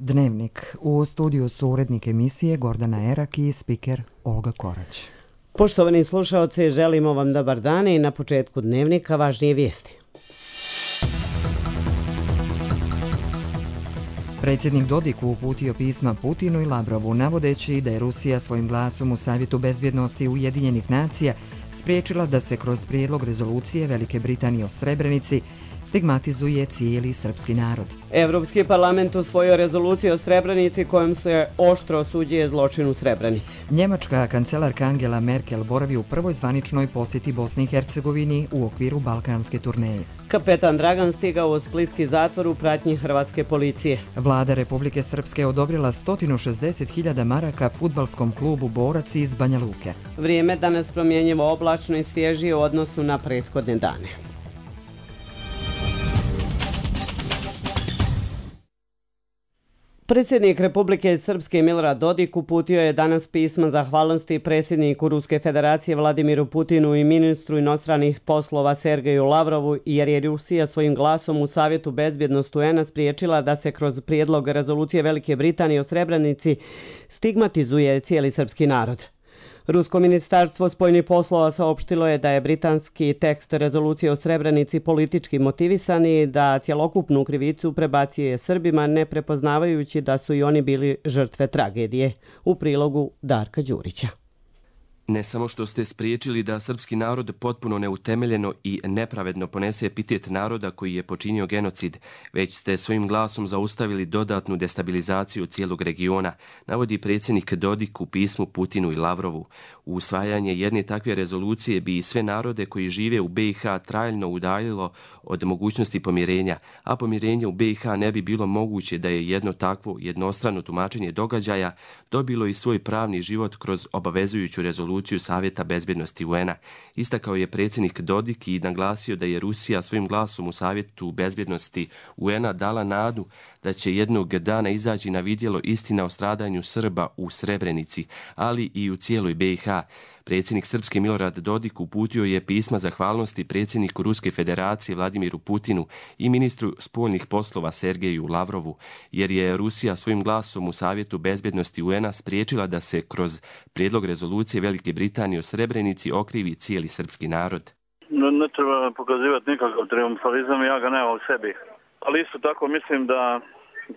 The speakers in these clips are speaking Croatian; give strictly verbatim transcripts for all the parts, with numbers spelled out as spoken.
Dnevnik. U studiju su urednik emisije Gordana Erak i spiker Olga Korać. Poštovani slušaoci, želimo vam dobar dan i na početku Dnevnika važnije vijesti. Predsjednik Dodik uputio pisma Putinu i Lavrovu navodeći da je Rusija svojim glasom u Savjetu bezbjednosti Ujedinjenih nacija spriječila da se kroz prijedlog rezolucije Velike Britanije o Srebrenici stigmatizuje cijeli srpski narod. Europski parlament usvojio rezoluciju o Srebrenici kojom se oštro osuđuje zločin u Srebrenici. Njemačka kancelarka Angela Merkel boravi u prvoj zvaničnoj posjeti Bosni i Hercegovini u okviru balkanske turneje. Kapetan Dragan stigao u splitski zatvor u pratnji hrvatske policije. Vlada Republike Srpske odobrila sto šezdeset hiljada maraka fudbalskom klubu Borac iz Banja Luke. Vrijeme danas promjenjivo, oblačno i svježije u odnosu na prethodne dane. Predsjednik Republike Srpske Milorad Dodik uputio je danas pisma zahvalnosti predsjedniku Ruske federacije Vladimiru Putinu i ministru inostranih poslova Sergeju Lavrovu jer je Rusija svojim glasom u Savjetu bezbjednosti U N A spriječila da se kroz prijedlog rezolucije Velike Britanije o Srebrenici stigmatizuje cijeli srpski narod. Rusko ministarstvo spoljnih poslova saopštilo je da je britanski tekst rezolucije o Srebrenici politički motivisan i da cjelokupnu krivicu prebacuje Srbima, ne prepoznavajući da su i oni bili žrtve tragedije. U prilogu Darka Đurića. Ne samo što ste spriječili da srpski narod potpuno neutemeljeno i nepravedno ponese epitet naroda koji je počinio genocid, već ste svojim glasom zaustavili dodatnu destabilizaciju cijelog regiona, navodi predsjednik Dodik u pismu Putinu i Lavrovu. Usvajanje jedne takve rezolucije bi sve narode koji žive u B i H trajno udaljilo od mogućnosti pomirenja, a pomirenje u B i H ne bi bilo moguće da je jedno takvo jednostrano tumačenje događaja dobilo i svoj pravni život kroz obavezujuću rezoluciju Savjeta bezbjednosti U N A. Istakao je predsjednik Dodik i naglasio da je Rusija svojim glasom u Savjetu bezbjednosti U N A dala nadu da će jednog dana izaći na vidjelo istina o stradanju Srba u Srebrenici, ali i u cijeloj B i H. Predsjednik Srpske Milorad Dodik uputio je pisma zahvalnosti predsjedniku Ruske federacije Vladimiru Putinu i ministru spoljnih poslova Sergeju Lavrovu, jer je Rusija svojim glasom u Savjetu bezbjednosti U N A spriječila da se kroz prijedlog rezolucije Velike Britanije o Srebrenici okrivi cijeli srpski narod. No, ne treba pokazivati nikakav triumfalizam, ja ga nemam u sebi. Ali isto tako mislim da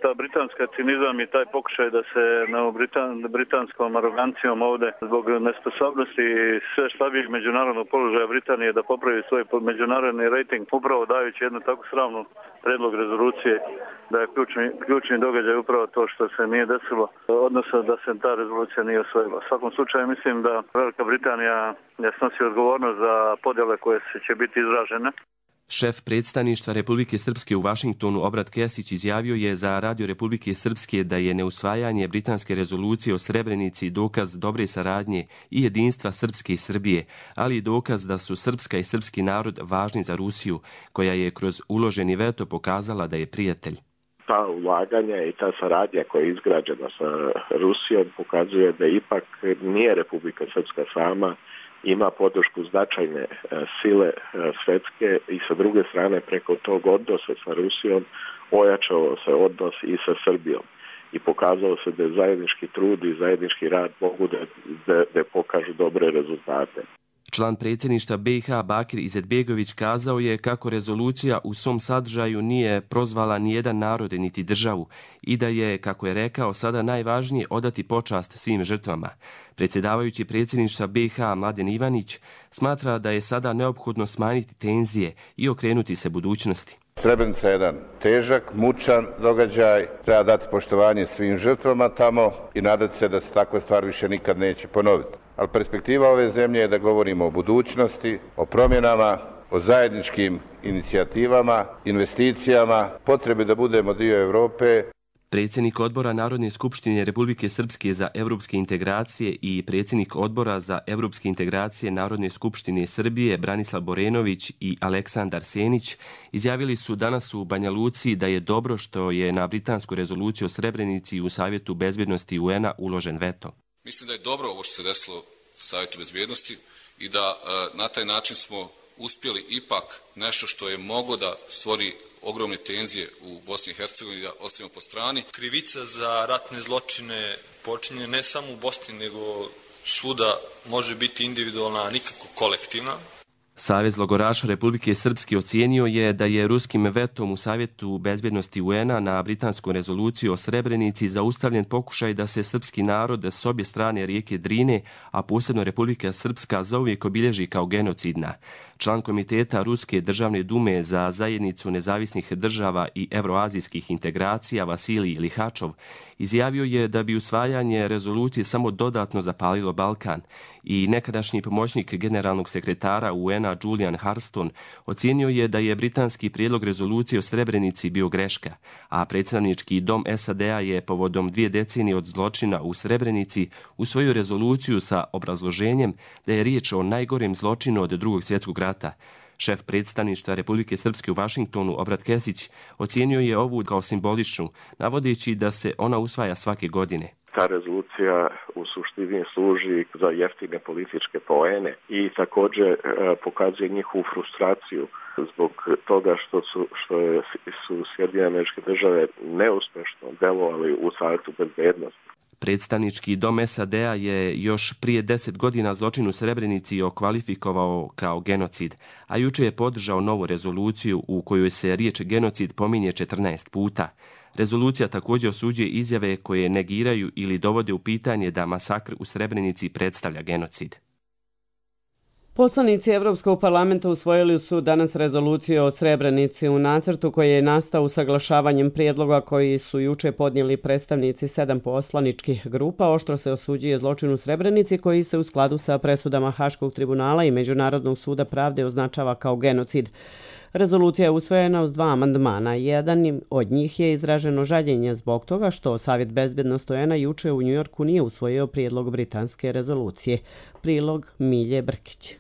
ta britanska cinizam i taj pokušaj da se na Britan, britanskom arogancijom ovdje zbog nesposobnosti i sve slabijeg međunarodnog položaja Britanije da popravi svoj međunarodni rating, upravo dajući jednu tako sramnu predlog rezolucije da je ključni, ključni događaj upravo to što se nije desilo, odnosno da se ta rezolucija nije osvojila. U svakom slučaju mislim da Velika Britanija ne snosi odgovornost za podjele koje će biti izražene. Šef predstavništva Republike Srpske u Vašingtonu Obrat Kesić izjavio je za Radio Republike Srpske da je neusvajanje britanske rezolucije o Srebrenici dokaz dobre saradnje i jedinstva Srpske i Srbije, ali i dokaz da su srpska i srpski narod važni za Rusiju, koja je kroz uloženi veto pokazala da je prijatelj. Ta ulaganja i ta saradnja koja je izgrađena sa Rusijom pokazuje da ipak nije Republika Srpska sama, ima podršku značajne sile svetske i sa druge strane preko tog odnosa sa Rusijom ojačao se odnos i sa Srbijom i pokazalo se da zajednički trud i zajednički rad mogu da, da, da pokažu dobre rezultate. Član predsjedništva B i H Bakir Izetbegović kazao je kako rezolucija u svom sadržaju nije prozvala nijedan narod niti državu i da je, kako je rekao, sada najvažnije odati počast svim žrtvama. Predsjedavajući predsjedništva B i H Mladen Ivanić smatra da je sada neophodno smanjiti tenzije i okrenuti se budućnosti. Srebrenica je jedan težak, mučan događaj, treba dati poštovanje svim žrtvama tamo i nadati se da se takva stvar više nikad neće ponoviti. Ali perspektiva ove zemlje je da govorimo o budućnosti, o promjenama, o zajedničkim inicijativama, investicijama, potrebi da budemo dio Europe. Predsjednik odbora Narodne skupštine Republike Srpske za evropske integracije i predsjednik odbora za evropske integracije Narodne skupštine Srbije Branislav Borenović i Aleksandar Senić izjavili su danas u Banja Luci da je dobro što je na britansku rezoluciju o Srebrenici u Savjetu bezbjednosti U N A uložen veto. Mislim da je dobro ovo što se desilo u Savjetu bezbjednosti i da e, na taj način smo uspjeli ipak nešto što je moglo da stvori ogromne tenzije u Bosni i Hercegovini da ostavimo po strani. Krivica za ratne zločine počinje ne samo u Bosni, nego svuda može biti individualna, a nikako kolektivna. Savez logoraša Republike Srpske ocijenio je da je ruskim vetom u Savjetu bezbjednosti U N-a na britansku rezoluciju o Srebrenici zaustavljen pokušaj da se srpski narod s obje strane rijeke Drine, a posebno Republika Srpska, zauvijek obilježi kao genocidna. Član komiteta Ruske državne dume za zajednicu nezavisnih država i evroazijskih integracija Vasilij Lihačov izjavio je da bi usvajanje rezolucije samo dodatno zapalilo Balkan i nekadašnji pomoćnik generalnog sekretara U N-a Julian Harston ocijenio je da je britanski prijedlog rezolucije o Srebrenici bio greška, a predstavnički dom S A D-a je povodom dvije decenije od zločina u Srebrenici usvojio rezoluciju sa obrazloženjem da je riječ o najgorem zločinu od drugog svjetskog rata. Šef predstavništva Republike Srpske u Vašingtonu, Obrat Kesić, ocijenio je ovu kao simboličnu, navodeći da se ona usvaja svake godine. Ta rezolucija u suštini služi za jeftine političke poene i također e, pokazuje njihovu frustraciju zbog toga što su, što je, su Sjedinjene Američke Države neuspješno delovali u Savjetu bezbjednosti. Predstavnički dom S A D-a je još prije deset godina zločin u Srebrenici okvalifikovao kao genocid, a juče je podržao novu rezoluciju u kojoj se riječ genocid pominje četrnaest puta. Rezolucija također osuđuje izjave koje negiraju ili dovode u pitanje da masakr u Srebrenici predstavlja genocid. Poslanici Evropskog parlamenta usvojili su danas rezoluciju o Srebrenici u nacrtu koji je nastao usaglašavanjem prijedloga koji su juče podnijeli predstavnici sedam poslaničkih grupa. Oštro se osuđuje zločin u Srebrenici koji se u skladu sa presudama Haškog tribunala i Međunarodnog suda pravde označava kao genocid. Rezolucija je usvojena uz dva amandmana. Jedan od njih je izraženo žaljenje zbog toga što Savjet bezbjednosti U N-a juče u Njujorku nije usvojio prijedlog britanske rezolucije. Prilog Milje Brkić.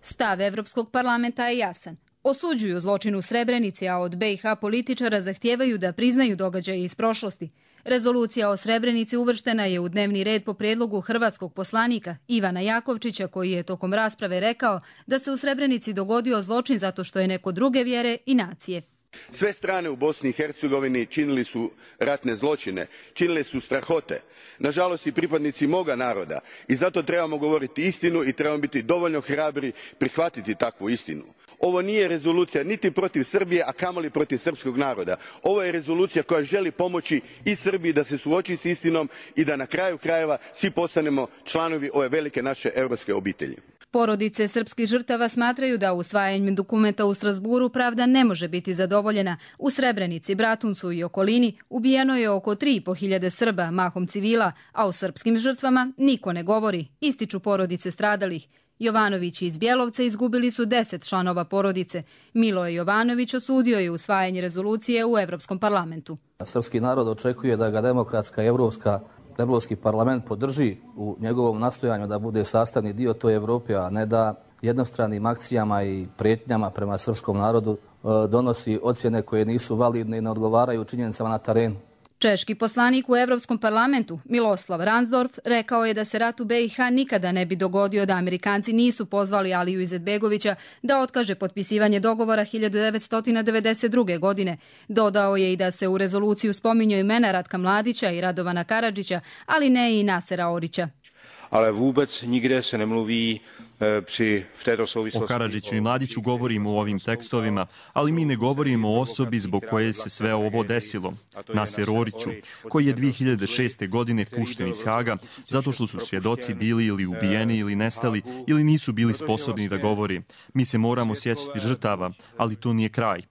Stav Evropskog parlamenta je jasan. Osuđuju zločin u Srebrenici, a od B i H političara zahtijevaju da priznaju događaje iz prošlosti. Rezolucija o Srebrenici uvrštena je u dnevni red po prijedlogu hrvatskog poslanika Ivana Jakovčića, koji je tokom rasprave rekao da se u Srebrenici dogodio zločin zato što je neko druge vjere i nacije. Sve strane u Bosni i Hercegovini činili su ratne zločine, činili su strahote. Nažalost i pripadnici moga naroda. I zato trebamo govoriti istinu i trebamo biti dovoljno hrabri prihvatiti takvu istinu. Ovo nije rezolucija niti protiv Srbije, a kamoli protiv srpskog naroda. Ovo je rezolucija koja želi pomoći i Srbiji da se suoči s istinom i da na kraju krajeva svi postanemo članovi ove velike naše europske obitelji. Porodice srpskih žrtava smatraju da usvajanjem dokumenta u Strasburu pravda ne može biti zadovoljena. U Srebrenici, Bratuncu i okolini ubijeno je oko tri i po hiljade Srba, mahom civila, a o srpskim žrtvama niko ne govori, ističu porodice stradalih. Jovanović iz Bjelovca izgubili su deset članova porodice. Miloje Jovanović osudio je usvajanje rezolucije u Evropskom parlamentu. Srpski narod očekuje da ga demokratska evropska Evropski parlament podrži u njegovom nastojanju da bude sastavni dio toj Evrope, a ne da jednostranim akcijama i prijetnjama prema srpskom narodu donosi ocjene koje nisu validne i ne odgovaraju činjenicama na terenu. Češki poslanik u Evropskom parlamentu Miloslav Ransdorf rekao je da se rat u B i H nikada ne bi dogodio da Amerikanci nisu pozvali Aliju Izetbegovića da otkaže potpisivanje dogovora hiljadu devetsto devedeset druge. godine. Dodao je i da se u rezoluciju spominju imena Ratka Mladića i Radovana Karadžića, ali ne i Nasera Orića. Ale vůbec nikde se nemluví při v této souvislosti. O Karadžiću i Mladiću govorimo u ovim tekstovima, ali mi ne govorimo o osobi zbog koje se sve ovo desilo. Naser Oriću, koji je dvije hiljade šeste. godine pušten iz Haga zato što su svjedoci bili ili ubijeni ili nestali ili nisu bili sposobni da govori. Mi se moramo sjećati žrtava, ali to nije kraj.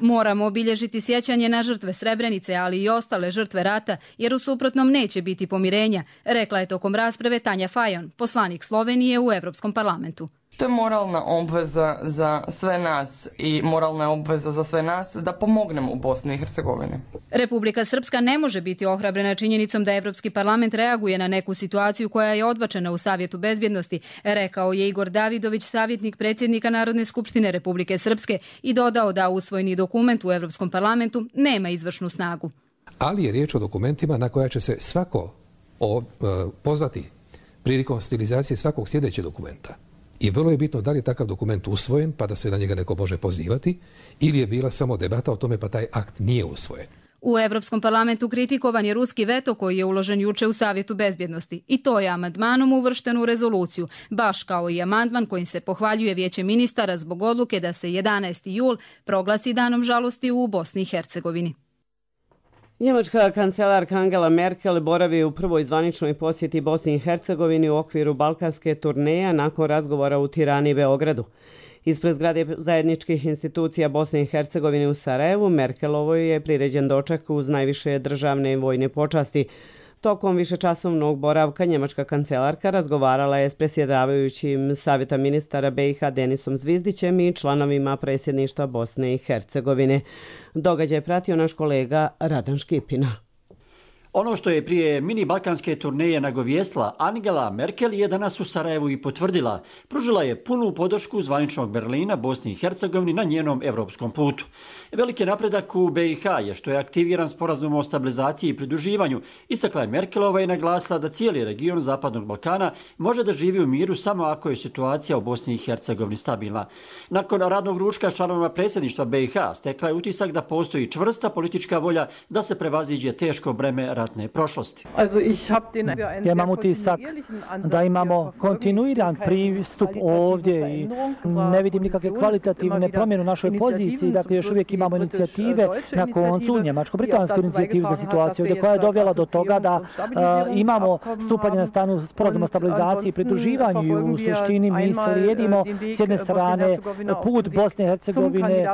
Moramo obilježiti sjećanje na žrtve Srebrenice, ali i ostale žrtve rata, jer u suprotnom neće biti pomirenja, rekla je tokom rasprave Tanja Fajon, poslanik Slovenije u Evropskom parlamentu. To je moralna obveza za sve nas i moralna obveza za sve nas da pomognemo u Bosni i Hercegovini. Republika Srpska ne može biti ohrabrena činjenicom da Evropski parlament reaguje na neku situaciju koja je odbačena u Savjetu bezbjednosti, rekao je Igor Davidović, savjetnik predsjednika Narodne skupštine Republike Srpske, i dodao da usvojeni dokument u Evropskom parlamentu nema izvršnu snagu. Ali je riječ o dokumentima na koja će se svako o, e, pozvati prilikom stilizacije svakog sljedećeg dokumenta. I vrlo je bitno da li je takav dokument usvojen pa da se na njega neko može pozivati ili je bila samo debata o tome pa taj akt nije usvojen. U Evropskom parlamentu kritikovan je ruski veto koji je uložen juče u Savjetu bezbjednosti i to je amandmanom uvršten u rezoluciju, baš kao i amandman kojim se pohvaljuje Vijeće ministara zbog odluke da se jedanaesti jul proglasi danom žalosti u Bosni i Hercegovini. Njemačka kancelarka Angela Merkel boravi u prvoj zvaničnoj posjeti Bosni i Hercegovini u okviru balkanske turneje nakon razgovora u Tirani i Beogradu. Ispred zgrade zajedničkih institucija Bosne i Hercegovine u Sarajevu, Merkelovoj je priređen doček uz najviše državne i vojne počasti. Tokom višečasovnog boravka njemačka kancelarka razgovarala je s predsjedavajućim Savjeta ministara B i H Denisom Zvizdićem i članovima predsjedništva Bosne i Hercegovine. Događaj pratio naš kolega Radan Škipina. Ono što je prije mini balkanske turneje nagovijestila Angela Merkel je danas u Sarajevu i potvrdila. Pružila je punu podršku zvaničnog Berlina Bosni i Hercegovini na njenom evropskom putu. Veliki napredak u B i H je što je aktiviran sporazum o stabilizaciji i pridruživanju. Istakla je Merkelova i naglasila da cijeli region Zapadnog Balkana može da živi u miru samo ako je situacija u Bosni i Hercegovini stabilna. Nakon radnog ručka članovima predsjedništva B i H stekla je utisak da postoji čvrsta politička volja da se prevaziđe teško breme ratne prošlosti. Ja imam utisak da imamo kontinuiran pristup ovdje i ne vidim nikakve kvalitativne promjene u našoj poziciji. Dakle, još uvijek imamo inicijative na koncu, njemačko-britansku inicijativu za situaciju ovdje koja je dovela do toga da uh, imamo stupanje na stanu sporazuma o stabilizaciji i pridruživanju i u suštini mi slijedimo s jedne strane put Bosne i Hercegovine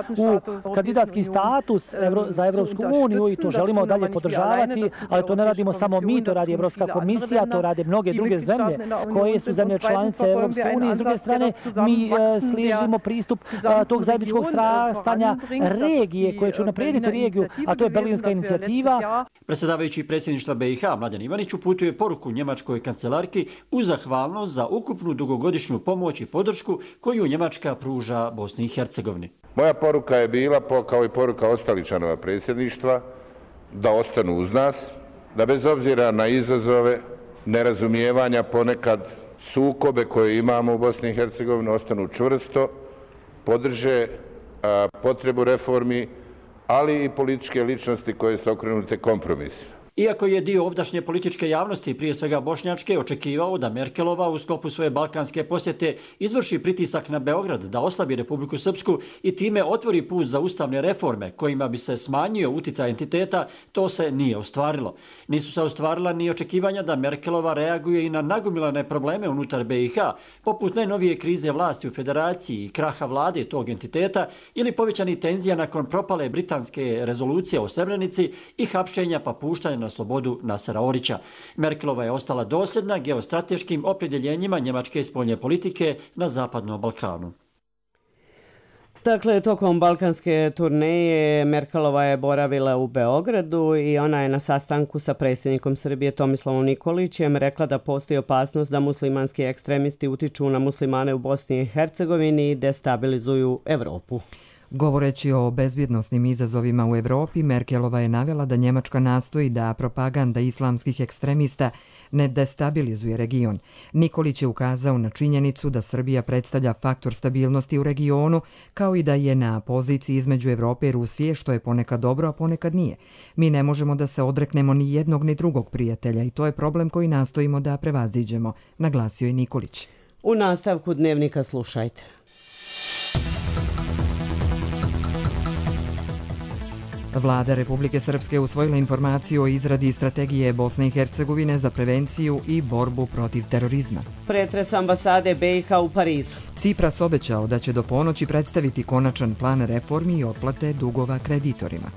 u kandidatski status Evro, za Evropsku uniju i to želimo dalje podržavati, ali to ne radimo samo mi, to radi Evropska komisija, to rade mnoge druge zemlje koje su zemlje članice Evropske unije. S druge strane, mi uh, slijedimo pristup uh, tog zajedničkog srastanja regije koje će unaprijediti regiju, a to je berlinska inicijativa. Predsjedavajući predsjedništva B i H Mladen Ivanić uputio je poruku njemačkoj kancelarki uz zahvalnost za ukupnu dugogodišnju pomoć i podršku koju Njemačka pruža Bosni i Hercegovini. Moja poruka je bila, kao i poruka ostalih članova predsjedništva, da ostanu uz nas, da bez obzira na izazove, nerazumijevanja, ponekad sukobe koje imamo u Bosni i Hercegovini, ostanu čvrsto, podrže a, potrebu reformi, ali i političke ličnosti koje su okrenute kompromisima. Iako je dio ovdašnje političke javnosti, prije svega bošnjačke, očekivao da Merkelova u sklopu svoje balkanske posjete izvrši pritisak na Beograd da oslabi Republiku Srpsku i time otvori put za ustavne reforme kojima bi se smanjio uticaj entiteta, to se nije ostvarilo. Nisu se ostvarila ni očekivanja da Merkelova reaguje i na nagomilane probleme unutar B i H, poput najnovije krize vlasti u federaciji i kraha vlade tog entiteta ili povećani tenzija nakon propale britanske rezolucije o Srebrenici i hapšenja pa puštanja na slobodu Nasera Orića. Merkelova je ostala dosljedna geostrateškim opredjeljenjima njemačke spoljne politike na Zapadnom Balkanu. Dakle, tokom balkanske turneje Merkelova je boravila u Beogradu i ona je na sastanku sa predsjednikom Srbije Tomislavom Nikolićem rekla da postoji opasnost da muslimanski ekstremisti utiču na muslimane u Bosni i Hercegovini i destabilizuju Evropu. Govoreći o bezbjednosnim izazovima u Evropi, Merkelova je navela da Njemačka nastoji da propaganda islamskih ekstremista ne destabilizuje region. Nikolić je ukazao na činjenicu da Srbija predstavlja faktor stabilnosti u regionu, kao i da je na poziciji između Evrope i Rusije, što je ponekad dobro, a ponekad nije. Mi ne možemo da se odreknemo ni jednog ni drugog prijatelja i to je problem koji nastojimo da prevaziđemo, naglasio je Nikolić. U nastavku dnevnika slušajte. Vlada Republike Srpske usvojila informaciju o izradi strategije Bosne i Hercegovine za prevenciju i borbu protiv terorizma. Pretres ambasade B i H u Parizu. Cipras obećao da će do ponoći predstaviti konačan plan reformi i otplate dugova kreditorima.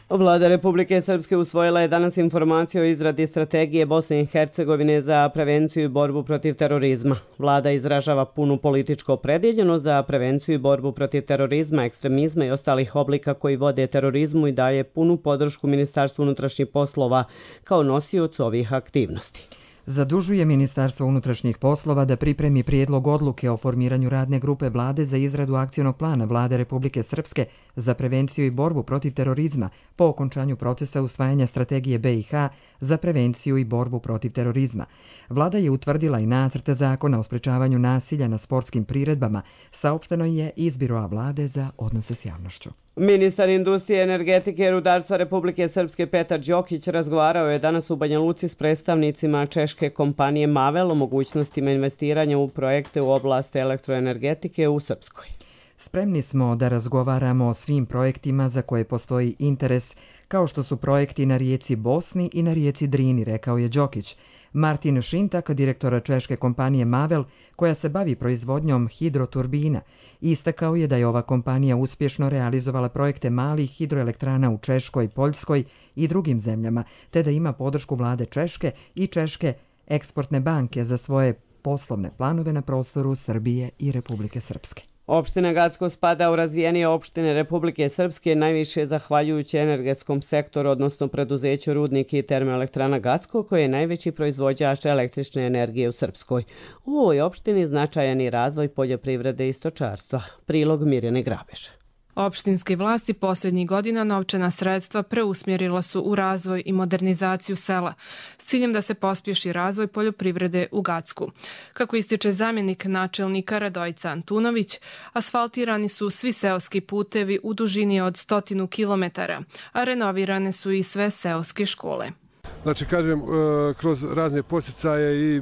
Vlada Republike Srpske usvojila je danas informaciju o izradi strategije Bosne i Hercegovine za prevenciju i borbu protiv terorizma. Vlada izražava punu političku opredjeljenost za prevenciju i borbu protiv terorizma, ekstremizma i ostalih oblika koji vode terorizmu i daje punu podršku Ministarstvu unutrašnjih poslova kao nosiocu ovih aktivnosti. Zadužuje Ministarstvo unutrašnjih poslova da pripremi prijedlog odluke o formiranju radne grupe vlade za izradu akcionog plana Vlade Republike Srpske za prevenciju i borbu protiv terorizma po okončanju procesa usvajanja strategije B i H za prevenciju i borbu protiv terorizma. Vlada je utvrdila i nacrt zakona o sprečavanju nasilja na sportskim priredbama, saopšteno je iz Biroa vlade za odnose s javnošću. Ministar industrije, energetike i rudarstva Republike Srpske Petar Đokić razgovarao je danas u Banja Luci s predstavnicima češke kompanije Mavel o mogućnostima investiranja u projekte u oblasti elektroenergetike u Srpskoj. Spremni smo da razgovaramo o svim projektima za koje postoji interes, kao što su projekti na rijeci Bosni i na rijeci Drini, rekao je Đokić. Martin Šintak, direktora češke kompanije Mavel, koja se bavi proizvodnjom hidroturbina, istakao je da je ova kompanija uspješno realizovala projekte malih hidroelektrana u Češkoj, Poljskoj i drugim zemljama, te da ima podršku vlade Češke i Češke eksportne banke za svoje poslovne planove na prostoru Srbije i Republike Srpske. Opština Gacko spada u razvijenije opštine Republike Srpske, najviše zahvaljujući energetskom sektoru, odnosno preduzeću Rudnik i termoelektrana Gacko, koji je najveći proizvođač električne energije u Srpskoj. U ovoj opštini značajan je razvoj poljoprivrede i stočarstva. Prilog Mirjane Grabeša. Opštinske vlasti posljednjih godina novčana sredstva preusmjerila su u razvoj i modernizaciju sela s ciljem da se pospješi razvoj poljoprivrede u Gacku. Kako ističe zamjenik načelnika Radojica Antunović, asfaltirani su svi seoski putevi u dužini od stotinu kilometara, a renovirane su i sve seoske škole. Znači, kažem, kroz razne poticaje i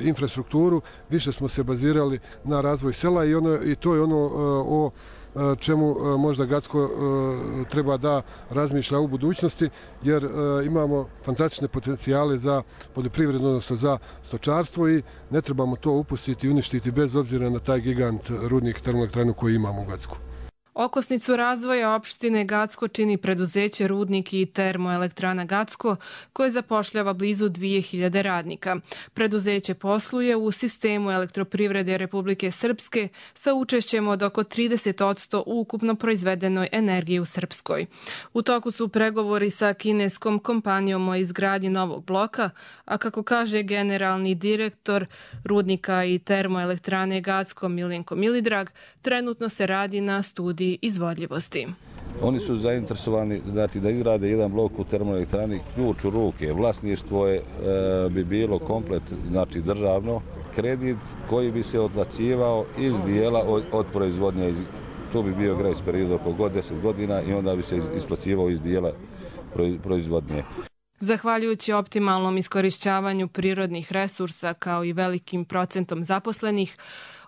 infrastrukturu više smo se bazirali na razvoj sela i, ono, i to je ono o čemu možda Gacko treba da razmišlja u budućnosti, jer imamo fantastične potencijale za poljoprivredno, odnosno za stočarstvo i ne trebamo to upustiti i uništiti bez obzira na taj gigant rudnik termoelektranu koji imamo u Gacku. Okosnicu razvoja opštine Gacko čini preduzeće Rudnik i termoelektrana Gacko, koje zapošljava blizu dvije hiljade radnika. Preduzeće posluje u sistemu elektroprivrede Republike Srpske sa učešćem od oko trideset posto u ukupno proizvedenoj energiji u Srpskoj. U toku su pregovori sa kineskom kompanijom o izgradnji novog bloka, a kako kaže generalni direktor Rudnika i termoelektrane Gacko Miljenko Milidrag, trenutno se radi na studiji izvodljivosti. Oni su zainteresovani znači, da izgrade jedan blok u termoelektrani, ključ u ruke. Vlasništvo je, e, bi bilo komplet znači, državno. Kredit koji bi se otplaćivao iz dijela od, od proizvodnje. To bi bio grejs period oko god deset godina i onda bi se isplaćivao iz dijela proizvodnje. Zahvaljujući optimalnom iskorišćavanju prirodnih resursa kao i velikim procentom zaposlenih,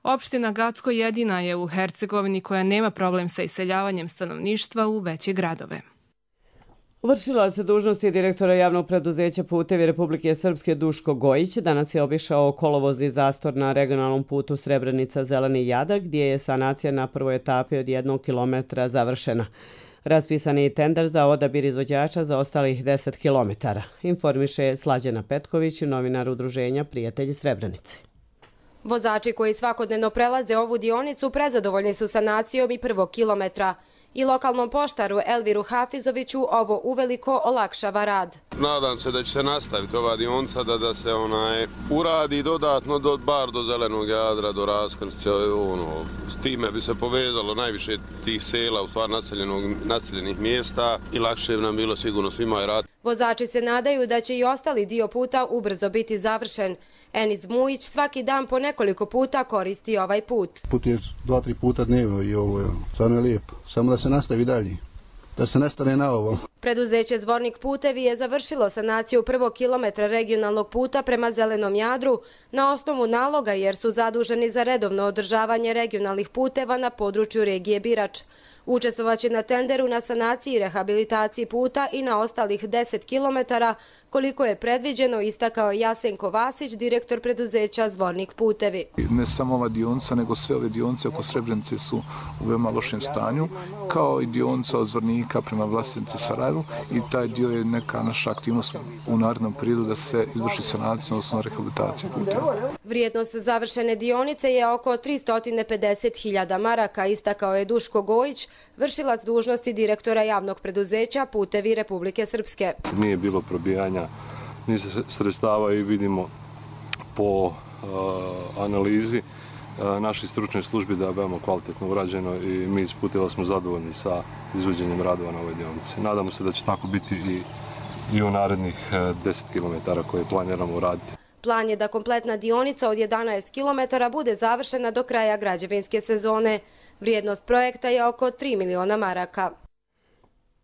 opština Gacko jedina je u Hercegovini koja nema problem sa iseljavanjem stanovništva u veće gradove. Vršilac dužnosti direktora javnog preduzeća Putevi Republike Srpske Duško Gojić danas je obišao kolovozni zastor na regionalnom putu Srebrenica-Zeleni Jadar, gdje je sanacija na prvoj etapi od jednog kilometra završena. Raspisan je tender za odabir izvođača za ostalih deset kilometara, informiše Slađana Petković, novinar udruženja Prijatelji Srebrenice. Vozači koji svakodnevno prelaze ovu dionicu prezadovoljni su sanacijom i prvog kilometra. I lokalnom poštaru Elviru Hafizoviću ovo uveliko olakšava rad. Nadam se da će se nastaviti ova dionica, da, da se onaj uradi dodatno do, bar do Zelenog Jadra, do raskršća. Ono, s time bi se povezalo najviše tih sela, u stvar naseljenih mjesta i lakše bi nam bilo sigurno svima i rad. Vozači se nadaju da će i ostali dio puta ubrzo biti završen. Enis Mujić svaki dan po nekoliko puta koristi ovaj put. Put je dva, tri puta dnevno i ovo je stvarno lijepo. Samo da se nastavi dalje, da se ne stane na ovo. Preduzeće Zvornik putevi je završilo sanaciju prvog kilometra regionalnog puta prema Zelenom Jadru na osnovu naloga jer su zaduženi za redovno održavanje regionalnih puteva na području regije Birač. Učestvovaće na tenderu na sanaciji i rehabilitaciji puta i na ostalih deset kilometara, koliko je predviđeno, istakao Jasenko Vasić, direktor preduzeća Zvornik putevi. Ne samo ova dionica, nego sve ove dionice oko Srebrenice su u veoma lošem stanju, kao i dionica od Zvornika prema Vlasenice Sarajevu i taj dio je neka naša aktivnost u narednom periodu da se izvrši sanacija, odnosno rehabilitacija puteva. Vrijednost završene dionice je oko tristo pedeset hiljada maraka, istakao je Duško Gojić, vršilac dužnosti direktora javnog preduzeća Putevi Republike Srpske. Nije bilo probijanja ni sredstava i vidimo po analizi naših stručnih službi da je veoma kvalitetno urađeno i mi iz Puteva smo zadovoljni sa izvođenjem radova na ovoj dionici. Nadamo se da će tako biti i, i u narednih deset kilometara koje planiramo uraditi. Plan je da kompletna dionica od jedanaest kilometara bude završena do kraja građevinske sezone. Vrijednost projekta je oko tri miliona maraka.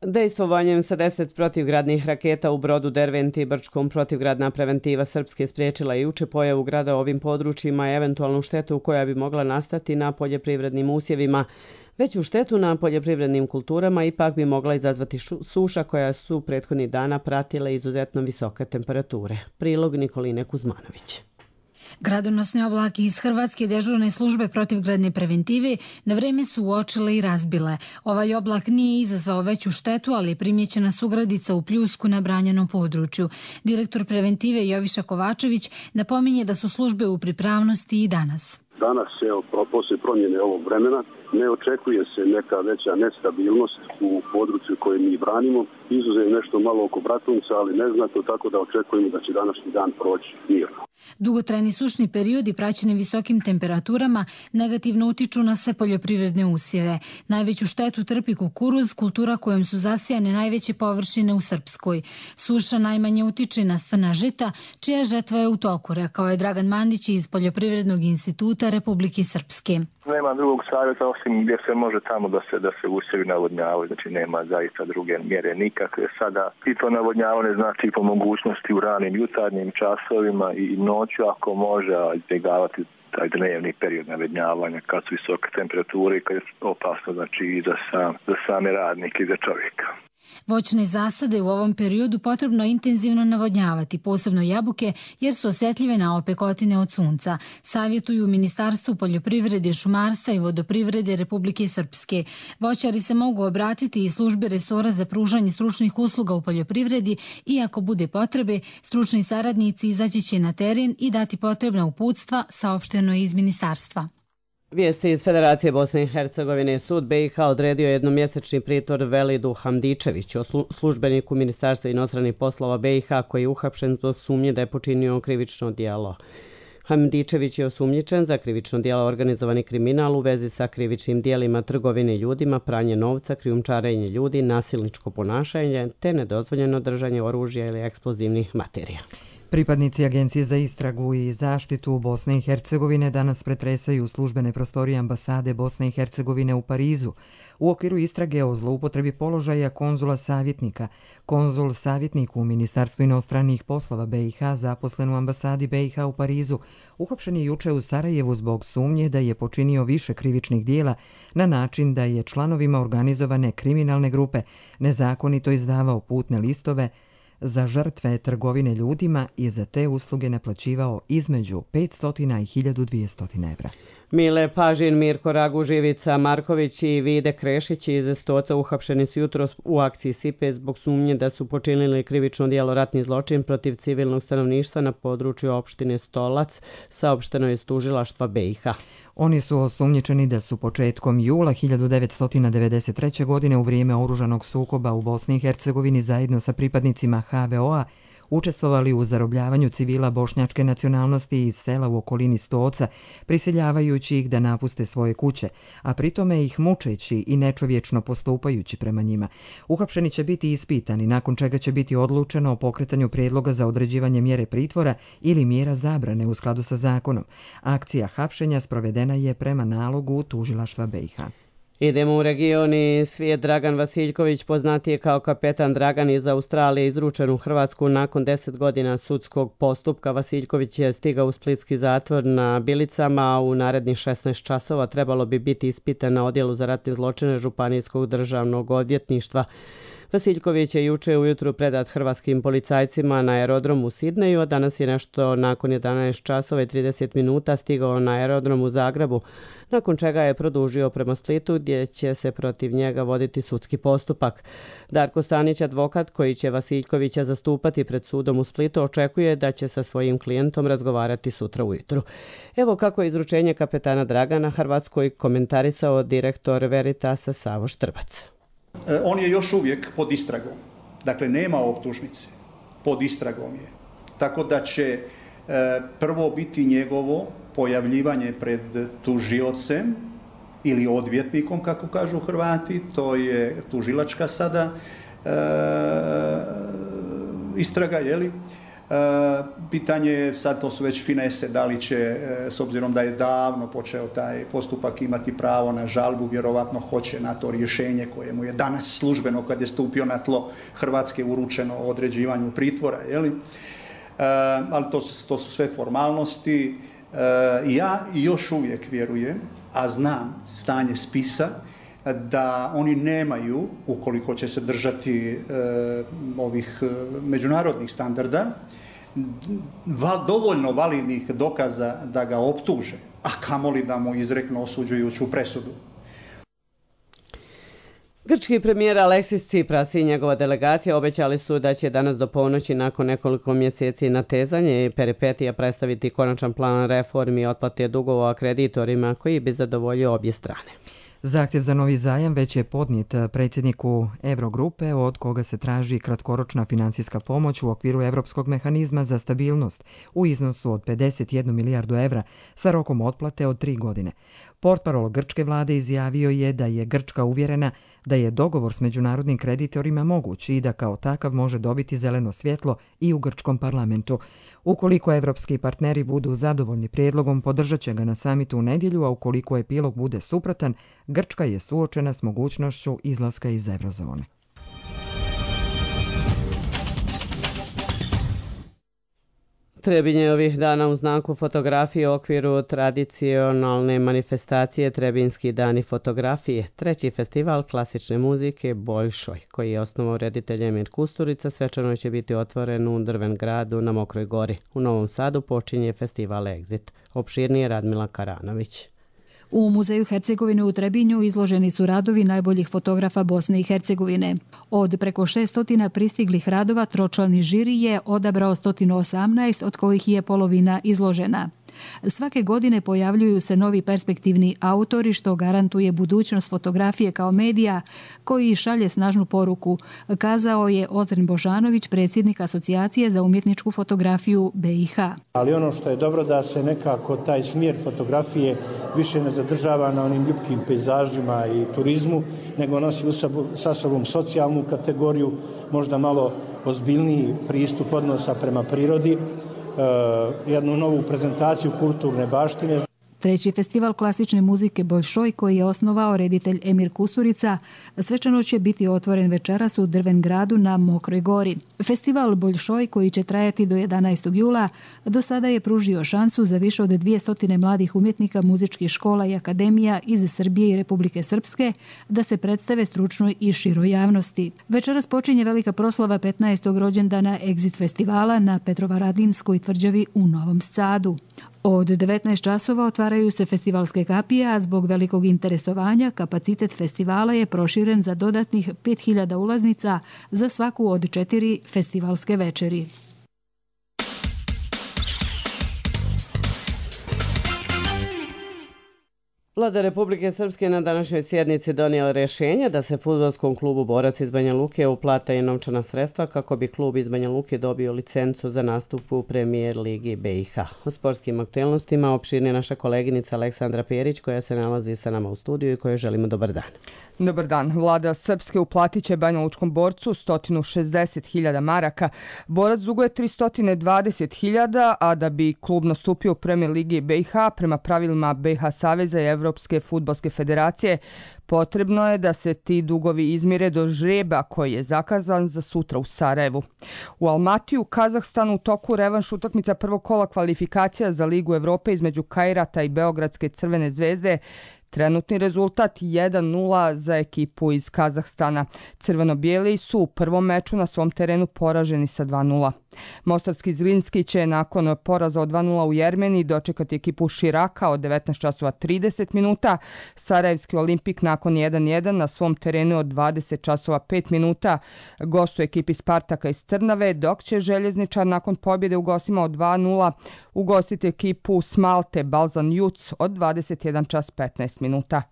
Dejstvovanjem sa deset protivgradnih raketa u Brodu, Derventi i Brčkom protivgradna preventiva Srpske spriječila i juče pojavu grada ovim područjima i eventualnu štetu koja bi mogla nastati na poljoprivrednim usjevima. Veću štetu na poljoprivrednim kulturama ipak bi mogla izazvati suša koja su prethodnih dana pratile izuzetno visoke temperature. Prilog Nikoline Kuzmanović. Gradonosne oblake iz Hrvatske dežurne službe protivgradne preventive na vreme su uočile i razbile. Ovaj oblak nije izazvao veću štetu, ali je primjećena sugradica u pljusku na branjenom području. Direktor preventive Joviša Kovačević napominje da su službe u pripravnosti i danas. Danas, evo, poslije promjene ovog vremena, ne očekuje se neka veća nestabilnost u području koje mi branimo. Izuzev nešto malo oko Bratunca, ali neznatno, tako da očekujemo da će današnji dan proći mirno. Dugotrajni sušni periodi praćeni visokim temperaturama negativno utiču na sve poljoprivredne usjeve. Najveću štetu trpi kukuruz, kultura kojom su zasijane najveće površine u Srpskoj. Suša najmanje utiče na strna žita, čija žetva je u toku, rekao je Dragan Mandić iz Poljoprivrednog instituta Republike Srpske. Nema drugog savjeta osim gdje se može tamo da se da se usjevi navodnjavaju, znači nema zaista druge mjere nikakve. Sada i to navodnjavanje znači po mogućnosti u ranim jutarnjim časovima i noću ako može izbjegavati taj dnevni period navodnjavanja kad su visoke temperature i kad je opasno znači i za, sam, za same radnike i za čovjeka. Voćne zasade u ovom periodu potrebno intenzivno navodnjavati, posebno jabuke, jer su osjetljive na opekotine od sunca. Savjetuju Ministarstvu poljoprivrede, šumarstva i vodoprivrede Republike Srpske. Voćari se mogu obratiti i službi resora za pružanje stručnih usluga u poljoprivredi i ako bude potrebe, stručni saradnici izaći će na teren i dati potrebna uputstva, saopšteno iz Ministarstva. Vijesti iz Federacije Bosne i Hercegovine. Sud B i H odredio jednomjesečni pritvor Velidu Hamdičeviću, službeniku Ministarstva inostranih poslova B i H koji je uhapšen zbog sumnje da je počinio krivično djelo. Hamdičević je osumnjičen za krivično djelo organizovani kriminal u vezi sa krivičnim djelima trgovine ljudima, pranje novca, krijumčarenje ljudi, nasilničko ponašanje te nedozvoljeno držanje oružja ili eksplozivnih materija. Pripadnici Agencije za istragu i zaštitu Bosne i Hercegovine danas pretresaju službene prostorije ambasade Bosne i Hercegovine u Parizu u okviru istrage o zloupotrebi položaja konzula savjetnika. Konzul savjetnik u Ministarstvu inostranih poslova B i H zaposlen u ambasadi B i H u Parizu uhapšen je juče u Sarajevu zbog sumnje da je počinio više krivičnih dijela na način da je članovima organizovane kriminalne grupe nezakonito izdavao putne listove za žrtve trgovine ljudima i za te usluge naplaćivao između petsto i hiljadu dvjesto evra. Mile Pažin, Mirko Ragu, Živica Marković i Vide Krešić iz Stoca uhapšeni su jutros u akciji Sipe zbog sumnje da su počinili krivično djelo ratni zločin protiv civilnog stanovništva na području opštine Stolac, saopšteno je iz tužilaštva B i H. Oni su osumnjičeni da su početkom jula hiljadu devetsto devedeset treće. godine u vrijeme oružanog sukoba u Bosni i Hercegovini zajedno sa pripadnicima H V O-a učestvovali u zarobljavanju civila bošnjačke nacionalnosti iz sela u okolini Stoca, prisiljavajući ih da napuste svoje kuće, a pritome ih mučeći i nečovječno postupajući prema njima. Uhapšeni će biti ispitani, nakon čega će biti odlučeno o pokretanju prijedloga za određivanje mjere pritvora ili mjera zabrane u skladu sa zakonom. Akcija hapšenja sprovedena je prema nalogu tužilaštva B i H. Idemo u regioni svijet. Dragan Vasiljković, poznatiji kao kapetan Dragan iz Australije, izručen u Hrvatsku nakon deset godina sudskog postupka. Vasiljković je stigao u splitski zatvor na Bilicama, a u narednih šesnaest časova trebalo bi biti ispitan na odjelu za ratne zločine Županijskog državnog odvjetništva. Vasiljković je juče ujutru predat hrvatskim policajcima na aerodromu u Sidneju, a danas je nešto nakon jedanaest časova i trideset minuta stigao na aerodrom u Zagrebu, nakon čega je produžio prema Splitu gdje će se protiv njega voditi sudski postupak. Darko Stanić, advokat koji će Vasiljkovića zastupati pred sudom u Splitu, očekuje da će sa svojim klijentom razgovarati sutra ujutru. Evo kako je izručenje kapetana Dragana Hrvatskoj komentarisao direktor Veritasa Savo Štrbac. On je još uvijek pod istragom. Dakle, nema optužnice. Pod istragom je. Tako da će prvo biti njegovo pojavljivanje pred tužiocem ili odvjetnikom, kako kažu Hrvati, to je tužilačka sada istraga, jeli? Pitanje je, sad to su već finese, da li će, s obzirom da je davno počeo taj postupak, imati pravo na žalbu, vjerovatno hoće na to rješenje koje mu je danas službeno, kad je stupio na tlo Hrvatske, uručeno o određivanju pritvora, jeli? Ali to su, to su sve formalnosti. Ja još uvijek vjerujem, a znam stanje spisa, da oni nemaju, ukoliko će se držati e, ovih međunarodnih standarda, val, dovoljno validnih dokaza da ga optuže, a kamoli da mu izreknu osuđujuću presudu. Grčki premijer Aleksis Tsipras i njegova delegacija obećali su da će danas do ponoći nakon nekoliko mjeseci natezanja i peripetija predstaviti konačan plan reformi i otplate dugova kreditorima koji bi zadovoljio obje strane. Zahtjev za novi zajam već je podnijet predsjedniku Eurogrupe, od koga se traži kratkoročna financijska pomoć u okviru Europskog mehanizma za stabilnost u iznosu od pedeset jednu milijardu evra sa rokom otplate od tri godine. Portparol grčke vlade izjavio je da je Grčka uvjerena da je dogovor s međunarodnim kreditorima moguć i da kao takav može dobiti zeleno svjetlo i u grčkom parlamentu. Ukoliko evropski partneri budu zadovoljni prijedlogom, podržat će ga na samitu u nedjelju, a ukoliko epilog bude suprotan, Grčka je suočena s mogućnošću izlaska iz eurozone. Trebinje je ovih dana u znaku fotografije u okviru tradicionalne manifestacije Trebinski dani fotografije, treći festival klasične muzike Boljšoj, koji je osnovao reditelj Emir Kusturica, svečano će biti otvoren u Drven gradu na Mokroj gori. U Novom Sadu počinje festival Exit. Opširnije Radmila Karanović. U Muzeju Hercegovine u Trebinju izloženi su radovi najboljih fotografa Bosne i Hercegovine. Od preko šeststotina pristiglih radova tročlani žiri je odabrao sto osamnaest, od kojih je polovina izložena. Svake godine pojavljuju se novi perspektivni autori, što garantuje budućnost fotografije kao medija koji šalje snažnu poruku, kazao je Ozren Božanović, predsjednik Asocijacije za umjetničku fotografiju B i H. Ali ono što je dobro da se nekako taj smjer fotografije više ne zadržava na onim ljubkim pejzažima i turizmu, nego nosi sa sobom socijalnu kategoriju, možda malo ozbiljniji pristup odnosa prema prirodi, jednu novu prezentaciju kulturne baštine. Treći festival klasične muzike Boljšoj, koji je osnovao reditelj Emir Kusturica, svečano će biti otvoren večeras u Drven gradu na Mokroj gori. Festival Boljšoj, koji će trajati do jedanaestog jula, do sada je pružio šansu za više od dvjesto mladih umjetnika muzičkih škola i akademija iz Srbije i Republike Srpske da se predstave stručnoj i široj javnosti. Večeras počinje velika proslava petnaestog rođendana Exit festivala na Petrovaradinskoj tvrđavi u Novom Sadu. Od devetnaest časova otvaraju se festivalske kapije, a zbog velikog interesovanja kapacitet festivala je proširen za dodatnih pet hiljada ulaznica za svaku od četiri festivalske večeri. Vlada Republike Srpske na današnjoj sjednici donijela rješenje da se fudbalskom klubu Borac iz Banja Luke uplata i novčana sredstva kako bi klub iz Banja Luke dobio licencu za nastup u Premijer Ligi B i H. O sportskim aktualnostima opširnije naša koleginica Aleksandra Perić, koja se nalazi sa nama u studiju i kojoj želimo dobar dan. Dobar dan. Vlada Srpske uplatit će Banja Lučkom Borcu sto šezdeset hiljada maraka. Borac duguje tristo dvadeset hiljada, a da bi klub nastupio u Premijer Ligi B i H prema pravilima B i H Saveza i Evropske fudbalske federacije, potrebno je da se ti dugovi izmire do žreba koji je zakazan za sutra u Sarajevu. U Almatiju, Kazahstanu, u toku revanš utakmica prvog kola kvalifikacija za Ligu Evrope između Kairata i Beogradske Crvene zvezde. Trenutni rezultat jedan nula za ekipu iz Kazahstana. Crveno-bijeli su u prvom meču na svom terenu poraženi sa dva nula. Mostarski Zrinski će nakon poraza od dva nula u Jermeniji dočekati ekipu Širaka od devetnaest časova trideset minuta. Sarajevski Olimpik nakon jedan jedan na svom terenu od dvadeset časova pet minuta gostuje ekipi Spartaka iz Trnave, dok će Željezničar nakon pobjede u gostima od dva nula ugostiti ekipu Smalte Balzan Juc od dvadeset jedan čas petnaest minuta.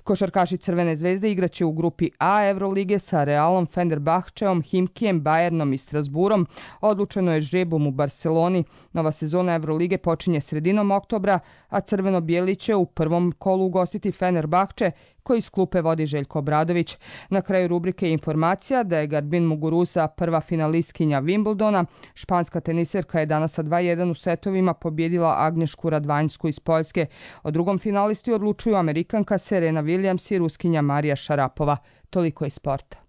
Košarkaši Crvene zvezde igraće u grupi A Evrolige sa Realom, Fenerbahčeom, Himkijem, Bayernom i Strasburom. Odlučeno završeno je žrebom u Barceloni. Nova sezona Evrolige počinje sredinom oktobra, a crveno-bijeli će u prvom kolu ugostiti Fenerbahče, koji iz klupe vodi Željko Obradović. Na kraju rubrike je informacija da je Garbin Muguruza prva finalistkinja Wimbledona. Španska teniserka je danas sa dva jedan u setovima pobjedila Agnješku Radvanjsku iz Poljske. O drugom finalisti odlučuju Amerikanka Serena Williams i Ruskinja Marija Šarapova. Toliko iz sporta.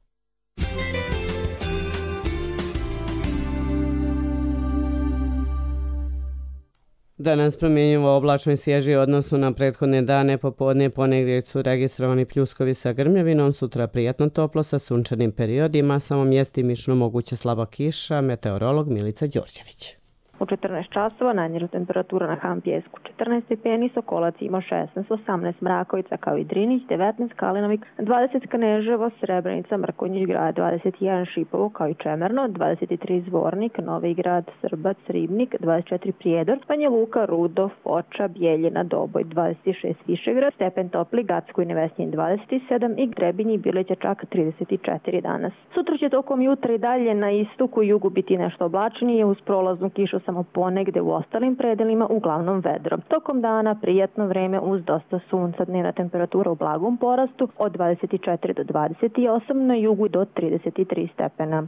Danas promjenjivo oblačno i svježi odnosu na prethodne dane, popodne ponegdje su registrovani pljuskovi sa grmljavinom, sutra prijatno toplo sa sunčanim periodima, samo mjestimično moguća slaba kiša, meteorolog Milica Đorđević. U četrnaest časova najniža temperatura na Han Pjesku četrnaest stepeni, Sokolac ima šesnaest, osamnaest Mrakovica kao i Drinić, devetnaest Kalinovik, dvadeset Kneževo, Srebrenica, Mrkonjić grad, dvadeset jedan Šipovo kao i Čemerno, dvadeset tri Zvornik, Novi grad, Srbac, Ribnik, dvadeset četiri Prijedor, Banja Luka, Rudo, Foča, Bijeljina, Doboj, dvadeset šest Višegrad, Stepen Topli, Gacko i Nevesnjin dvadeset sedam i Grebinji Bileća čak trideset četiri danas. Sutra će tokom jutra i dalje na istoku i jugu biti nešto oblačnije uz prolaznu kišu samo ponegde u ostalim predelima, uglavnom vedro. Tokom dana prijatno vreme uz dosta sunca, dnevna temperatura u blagom porastu od dvadeset četiri do dvadeset osam, na jugu do trideset tri stepena.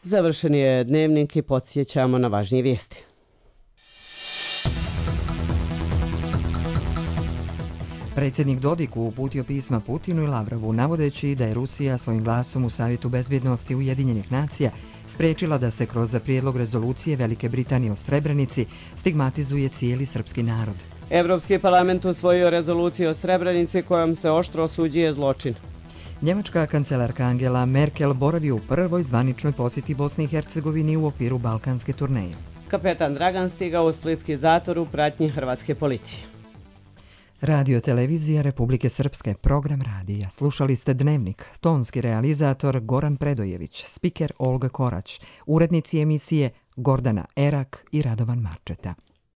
Završen je dnevnik i podsjećamo na važnije vijesti. Predsjednik Dodik uputio pisma Putinu i Lavrovu, navodeći da je Rusija svojim glasom u Savjetu bezbjednosti Ujedinjenih nacija spriječila da se kroz prijedlog rezolucije Velike Britanije o Srebrenici stigmatizuje cijeli srpski narod. Evropski parlament usvojio rezoluciju o Srebrenici kojom se oštro osuđuje zločin. Njemačka kancelarka Angela Merkel boravi u prvoj zvaničnoj posjeti Bosni i Hercegovini u okviru balkanske turneje. Kapetan Dragan stigao u splitski zatvor u pratnji hrvatske policije. Radio televizija Republike Srpske, program radija. Slušali ste Dnevnik, tonski realizator Goran Predojević, spiker Olga Korać, urednici emisije Gordana Erak i Radovan Marčeta.